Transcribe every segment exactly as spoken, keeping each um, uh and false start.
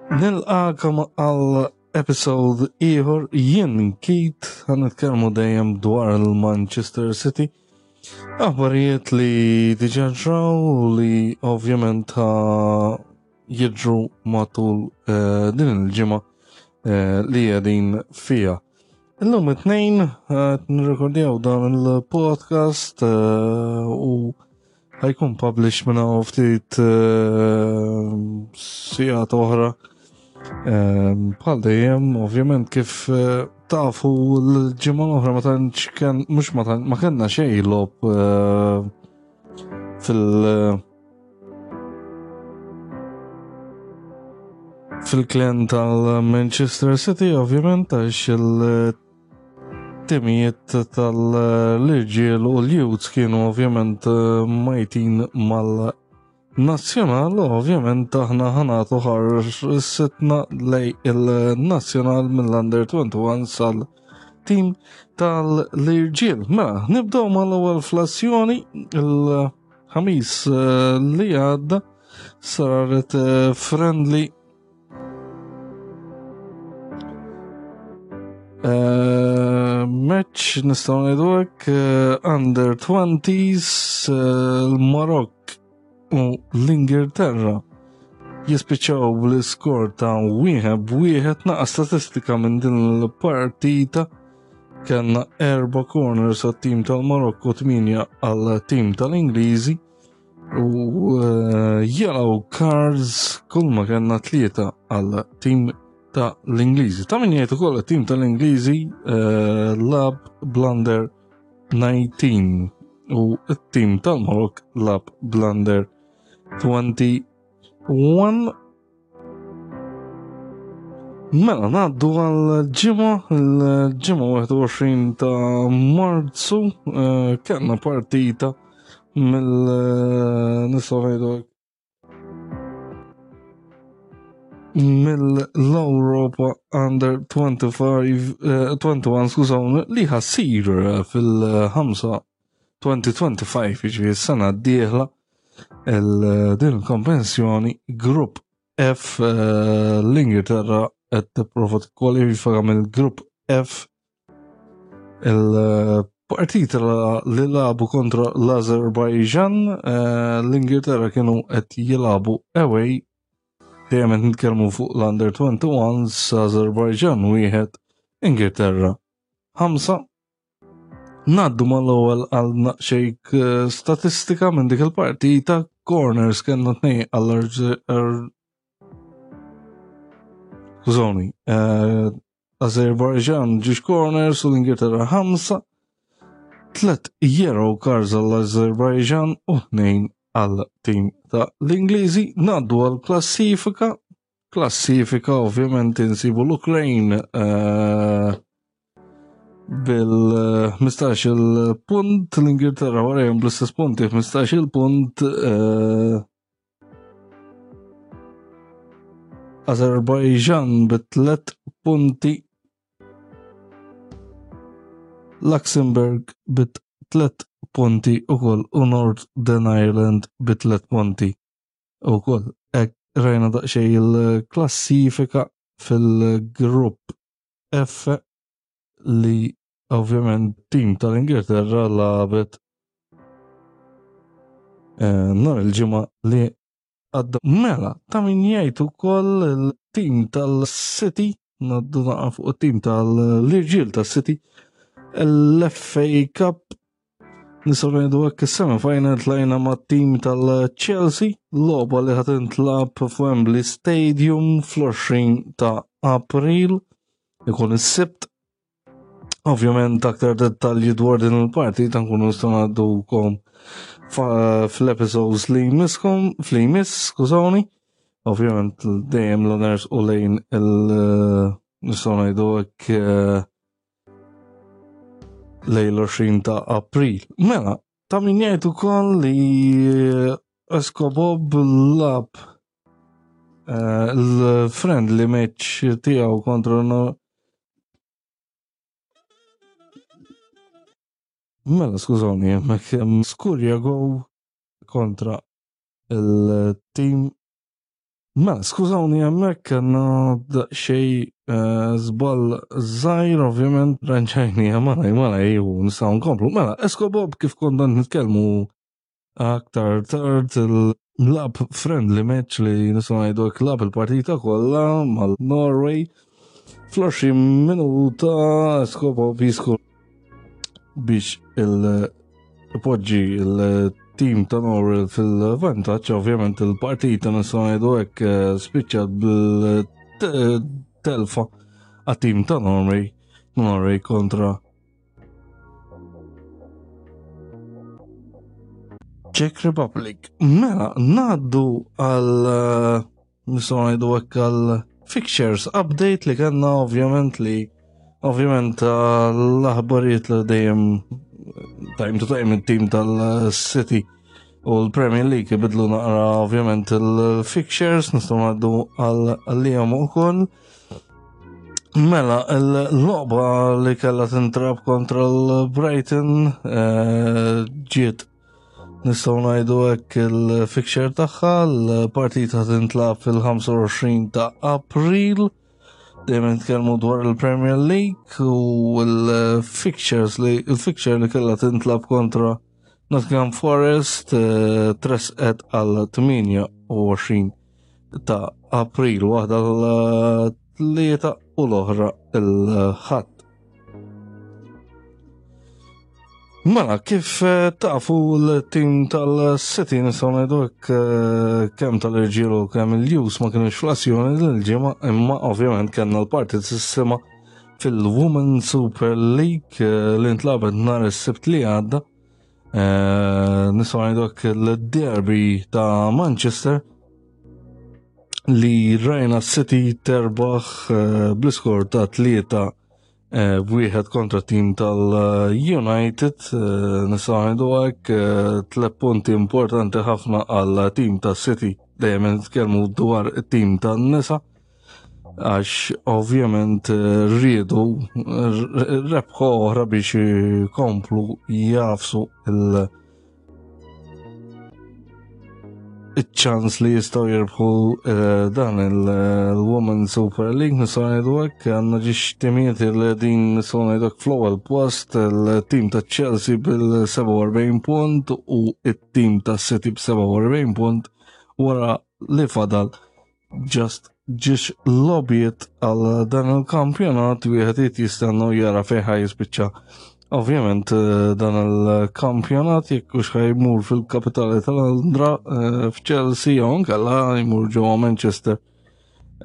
Nilqakom għal episode ieħor. Jien Keith, ħa nitkellmu dejjem dwar il-Manchester City. Aħbarijiet li diġà ġraw u li ovvjament jiġru matul eh, din il-ġimgħa eh, li qegħdin fiha. Illum it-tnejn qed nirrekordjaw dan il-podcast eh, u ħa jkun publish minn hawn ftit eh, sigħat oħra. Eh, Bħal dejjem, ovvjament, kif eh, tafu, l-ġimgħa l-oħra ma tantx kien, mhux ma tant, ma kellna xejn logħob eh, fil- fil-klen tal-Manchester City, ovvjament, għax il-timijiet tal-irġiel u l-youths kienu ovvjament majtin mal-nazzjonal, u ovvjament aħna ħa nagħtu ħarsitna lejn il-nazzjonal mill-Under twenty-one sal-tim tal-irġiel. Mela, nibdew mal-ewwel flassjoni. Il-Ħamis eh, li għadda saret eh, friendly Uh, match, nistgħu ngħidu hekk, uh, under twenties, uh, l-Marokk u l-Ingilterra jispiċċaw bl-iskor ta' wieħed b'wieħed. Naqa statistika minn din il-partita: kellna erba' corners għat-tim tal-Marokk u tmienja għal-tim tal-Ingliżi u uh, yellow cards kull ma kellna tlieta għal-tim ta' l-Ingliżi. Ta' min jgħid ukoll, it-tim tal-Ingliżi uh, lagħab bl-under nineteen u it-tim tal-Marokk lagħab bl-under twenty-one. Mela, ngħaddu għal-ġimgħa, il-ġimgħa wieħed u għoxrin ta' Marzu, uh, kellna partita mill uh, nistgħu ngħidu mill-Europa Under twenty-five, eh, twenty-one, skużawni, li ħa ssir fil-ħamsa elfejn u ħamsa u għoxrin, jiġifieri s-sena d-dieħla, din il-kompetizzjoni Grupp F. eh, l-Ingilterra qed tipprova tikkwalifika mill-Grupp F. Il-partita li lagħbu kontra l-Azerbajġan, eh, l-Ingilterra kienu qed jilagħbu away. Dejjem qed nitkellmu fuq l-Under twenty-one. Azerbajġan wieħed, Ingilterra ħamsa. Ngħaddu mal-ewwel għal naqxejk eh, statistika minn dik il-partita. Corners kellna tnejn għall Skużawni, eh, Azerbajġan żewġ corners u l-Ingilterra ħamsa. Tlet yellow cards għall-Azerbajġan u tnejn għal tim ta' l-Ingliżi. Ngħaddu għal klassifika. Klassifika, ovvjament, insibu l-Ukrajn uh, bil-ħmistax il-punt, l-Ingilterra warajhom bl-istess punti, ħmistax il-punt, uh, Azerbajġan bi tlet punti, Luxembourg bi tlet punti ukoll u Northern Ireland bi tlet punti ukoll. Hekk rajna daqsxejn il-klassifika fil-grupp F, li ovvjament tim tal-Ingilterra lagħbet eh, nhar il-ġimgħa li għadda. Mela, ta' min jgħid ukoll il-tim tal-City, ngħaddu naqa fuq it-tim tal-irġiel tas-City, l-F A Cup, nistgħu ngħidu hekk, is-semi final tlajna mat-tim tal-Chelsea, logħba li ħa tintlagħab f'Wembley Stadium fl-għoxrin ta' April, ikun is-Sibt. Ovvjament aktar dettalji dwar din il-partita nkunu nistgħu ngħaddukom fl-episodes li jmisskom, fl jmiss, skużawni. Ovvjament dejjem l-owners u lejn il- nistgħu ngħidu hekk eh, lejn l-għoxrin ta' April. Mela, ta' min jgħid ukoll li Escobob lagħab eh, l-friendly match tiegħu kontra no- Mela, skużawni, hemmhekk hemm skurja goal kontra il-team Mela, skużawni, hemmhekk kellna daqsxejn eh, żball żgħir, ovvjament, ranġajni malaj malaj u nistgħu nkomplu. Mela, Esco Bob, kif konna nitkellmu aktar tard, il-lagħab friendly match li nistgħu ngħidu lagħab il-partita kollha mal-Norway. Fl-għoxrin minuta Esco Bob jiskur biex il-poġġi il-team ta' Norway fil-vantaġġ. Ovvjament il-partita, nistgħu ngħidu hekk, eh, spiċċat bil-telfa għat-team ta' Norway Norway kontra Czech Republic. Mela, ngħaddu għal eh, nistgħu ngħidu hekk, għal fixtures update li kellna, ovvjament li ovvjament l-aħbarijiet li dejjem time to time il-team tal-City u l-Premier League ibidlu naqra ovvjament il-fixtures, nistgħu ngħaddu għal ukoll. Mela, il-logħba li kellha tintlagħab kontra l-Brighton eh, ġiet, nistgħu ngħidu hekk, il-fixture tagħha, l-partita tintlagħab fil-ħamsa u għoxrin ta' April. Dejjem nitkellmu dwar il-Premier League u l-fixtures li il-fixture li kellha tintlagħab kontra Nottingham Forest eh, tresqet għal tmienja u għoxrin ta' April, waħda l-Tlieta u l-oħra il-Ħadd. Mela, kif eh, tafu, l-tim tal-City, nistgħu ngħidu hekk, eh, kemm tal-irġiel u kemm il-youth ma kienux fl-azzjoni l-ġimgħa, imma ovvjament kellna l-partitissima fil-Women Super League eh, li ntlagħbet nhar is-Sibt li għadda. Nistgħu ngħidu hekk, l-derby ta' Manchester li rajna City terbaħ bl-iskor ta' tlieta Eh, wieħed kontra tim tal-United, eh, nistgħu ngħidu hekk, eh, tliet punti importanti ħafna għal tim ta' City. Dejjem nitkellmu dwar it-tim tan-nisa għax ovvjament rridu rebħa oħra biex jkomplu jagħfsu il- iċ-ċans li jistgħu jirbħu eh, dan il-Women Super League, nistgħu ngħidu hekk. Għandna żewġ timijiet li din, nistgħu ngħidu hekk, fl-ewwel post, il-tim ta' Chelsea bil-sebgħa u erbgħin punt u it-tim ta' City b'sebgħa u erbgħin punt wara li fadal just żewġ logħbiet għal dan il-kampjonat. Wieħed jistenna jara fejn ħa jispiċċa ovvjament eh, dan il-kampjonat, jekk hux ħa jmur fil-kapitali ta' Londra eh, f'Chelsea jew nkella jmur ġewwa Manchester.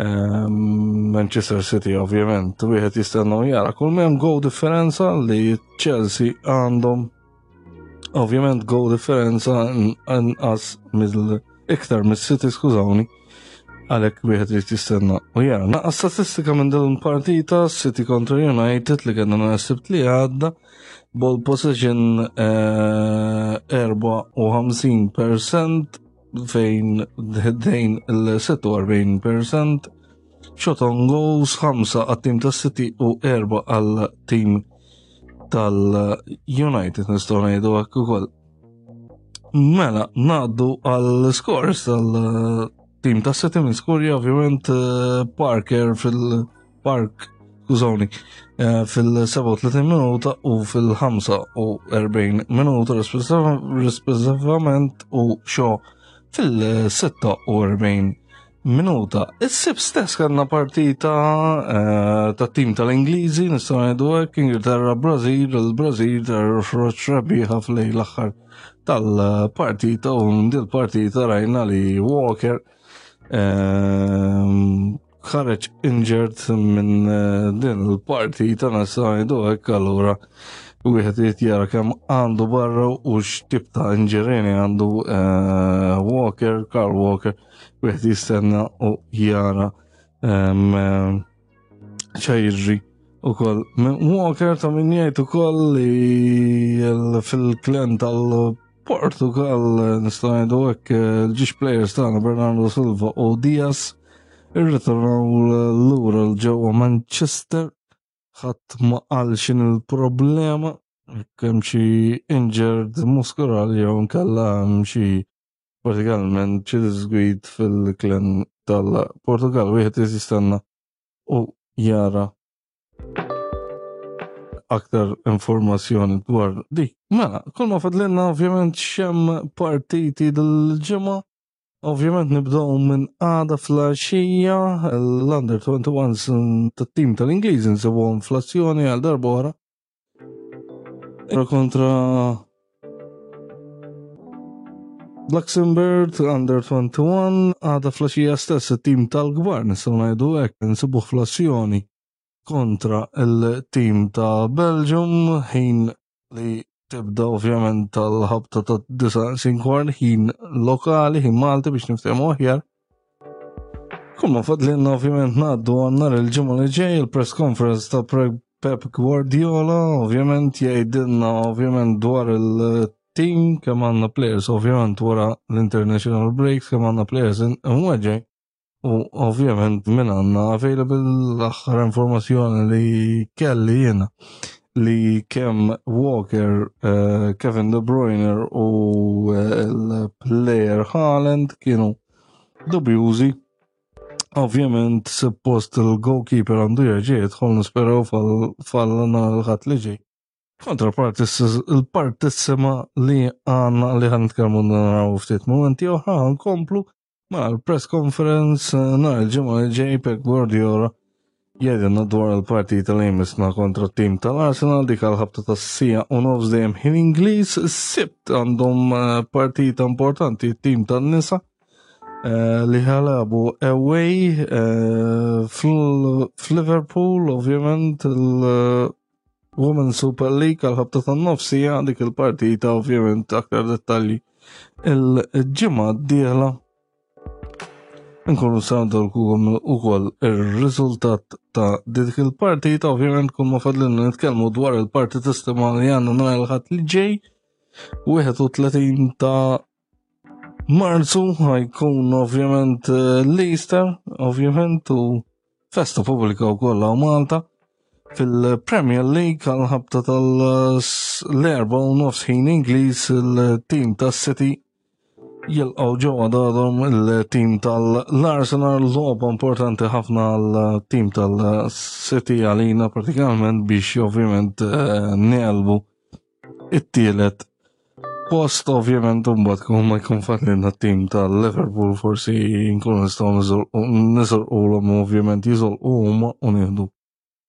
Ehm, Manchester City ovvjament, wieħed jistenna jara. Kull m'hemm goal differenza li Chelsea għandhom ovvjament goal differenza inqas mill iktar mis-City, skużawni, għalhekk wieħed irid jistenna u jara. Naqra statistika minn din partita City kontra United li kellna nhar Sibt li għadda: ball possession eh, erbgħa u ħamsin per cent fejn dejn il-sitta u erbgħin per cent, shot on goals ħamsa għat-tim tas City u erba għal-tim tal-United, nistgħu ngħidu hekk ukoll. Mela, ngħaddu għal scores tal-tim ta' City. Minn skorja ovvjament eh, Parker fil-Park, skużawni, eh, fil-sebgħa u tletin minuta u fil-ħamsa u erbgħin minuta rispettivament u Shaw fil-sitta u erbgħin minuta. Is-Sibt stess kellna partita eh, ta' tim tal-Ingliżi, nistgħu ngħidu hekk, Ingilterra Brażil, il-Brażil ħareġ rebbieħa fl l-aħħar tal-partita u dil-partita rajna li Walker ehm, ħareġ injured minn eh, din il-partita, nistgħu ngħidu hekk. Allura wieħed irid jara kemm għandu barra u x'tip ta' injury għandu eh, Walker, Kyle Walker, wieħed jistenna u jara ehm, x'ħa jiġri ukoll. Walker ta' min jgħid ukoll li fil-klen tal-Portugal, nistgħu ngħidu hekk, il-żewġ players tagħna Bernardo Silva u Diaz irritornaw lura 'l ġewwa Manchester. Ħadd ma qal x'in il-problema, kemm xi injured muskulari jew nkella hemm xi partikolarment xi disgwid fil-klen tal-Portugal wieħed jistenna u jara aktar informazzjoni dwar dik. Mela, kull ma fadlilna ovvjament x'hemm partiti dil-ġimgħa. Ovvjament nibdew minn għada filgħaxija l-Under twenty-one tat-tim tal-Ingliż nsibuhom fl-azzjoni għal darb'oħra. Kontra Luxembourg Under twenty-one, għada filgħaxija stess it-tim tal-kbar nistgħu ngħidu hekk nsibuh fl-azzjoni kontra il-tim ta' Belgium, ħin li tibda ovvjament tal-ħabta ta' disa' sinkwart, ħin lokali, ħin Malti biex niftehmu aħjar. Kull ma fadlilna ovvjament ngħaddu għal nhar il-ġimgħa li ġej il-press conference ta' Pep Guardiola, ovvjament jgħidilna ovvjament dwar il-team, kemm għandna players ovvjament wara l-international breaks, kemm għandna players imweġġej. U ovvjament minn għandna available. L-aħħar informazzjoni li kelli jiena li kemm Walker, uh, Kevin De Bruyne u uh, il-player Haaland kienu dubjużi. Ovvjament suppost il-goalkeeper għandu jerġa' jidħol, nisperaw fal nhar il-Ħadd li ġej. Kontra il-partissima li għandna li ħa nitkellmu naraw ftit momenti oħra. Nkomplu ma l-press conference nhar il-ġimgħa li ġej, Pep Guardiola jgħidilna dwar il-partita li jmissna kontra t-tim tal-Arsenal, dik għal-ħabta tas-siegħa u nofs dejjem ħin Ingliż. Sibt għandhom partita importanti t-tim tan-nisa li ħa jilagħbu away f'Liverpool, ovvjament il-Women's Super League għal-ħabta tan-nofsija dik il-partita, ovvjament aktar dettalji il-ġimgħa d-dieħla. Nkunu sandolkom ukoll ir-riżultat ta' dik il-partita. Ovvjament kull ma fadlilna nitkellmu dwar il-partita li għandna nhar il-Ħadd li ġej, wieħed u tletin ta' Marzu, ħa jkun ovvjament l-Easter, ovvjament u festa pubblika wkoll hawn Malta. Fil-Premier League għal-ħabta tal-erba u nofs ħin Ingliż il-tim tas-City jilqgħu ġewwa darhom il-tim tal-Arsenal, logħba importanti ħafna għal-tim tal-City, għalina pratikament, biex ovvjament negħlbu it-tielet post. Ovvjament mbagħad kun ma jkun fadlilna t-tim tal-Liverpool, forsi nkunu nistgħu niżolqulhom, ovvjament jiżolqu huma u nieħdu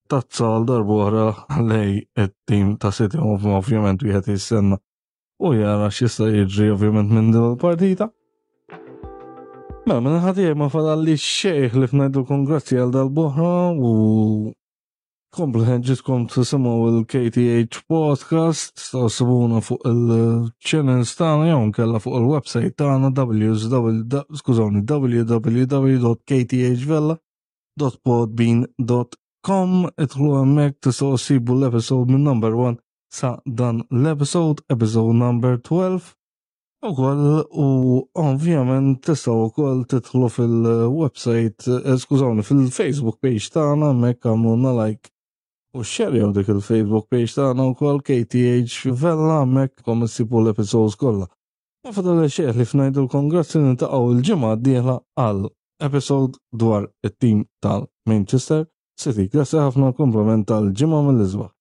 tazza għal darb'oħra lej it-tim ta' City. Ovvjament wieħed jistenna u jara x'jista' jiġri ovvjament minn din il-partita. Mela, minn ħatijaj ma fadalli xejn ħlief ngħidulkom grazzi għal darb'oħra u komplu ħenġiskom tisimgħu il-K T H Podcast, tistgħu ssibuna fuq il-channels tagħna jew nkella fuq il-website tagħna w skużawni w w w dot k t h vella dot podbean dot com. Idħlu hemmhekk, tistgħu ssibu l-episode minn number one sa dan l-episode, episode number twelve. Ukoll u ovvjament tistgħu wkoll tidħlu fil-website, eh, skużawni, fil-Facebook page tagħna, hemmhekk għamlulna like u xerjaw dik il-Facebook page tagħna wkoll, K T H Vella, hemmhekk kom issibu l-episodes kollha. Ma fadal xejn ħlief ngħidulkom grazzi, niltaqgħu il-ġimgħa d-dieħla għal episode dwar it-tim tal-Manchester City. Grazzi ħafna, kumplament tal-ġimgħa mill-isbaħ.